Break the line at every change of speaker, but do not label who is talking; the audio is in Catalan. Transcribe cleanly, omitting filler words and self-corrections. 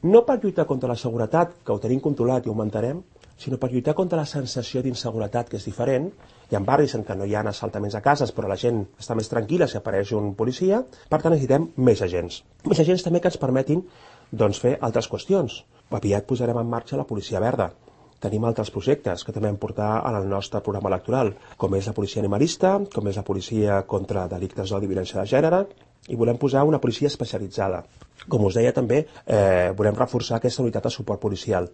No per lluitar contra la seguretat, que ho tenim controlat i ho augmentarem, sinó per lluitar contra la sensació d'inseguretat, que és diferent. Hi ha barris en què no hi ha assaltaments a cases, però la gent està més tranquil·la si apareix un policia. Per tant, necessitem més agents. Més agents també que ens permetin fer altres qüestions. Aviat posarem en marxa la policia verda. Tenim altres projectes que també hem portat en el nostre programa electoral, com és la policia animalista, com és la policia contra delictes d'odi i violència de gènere, i volem posar una policia especialitzada. Com us deia també, volem reforçar aquesta unitat de suport policial.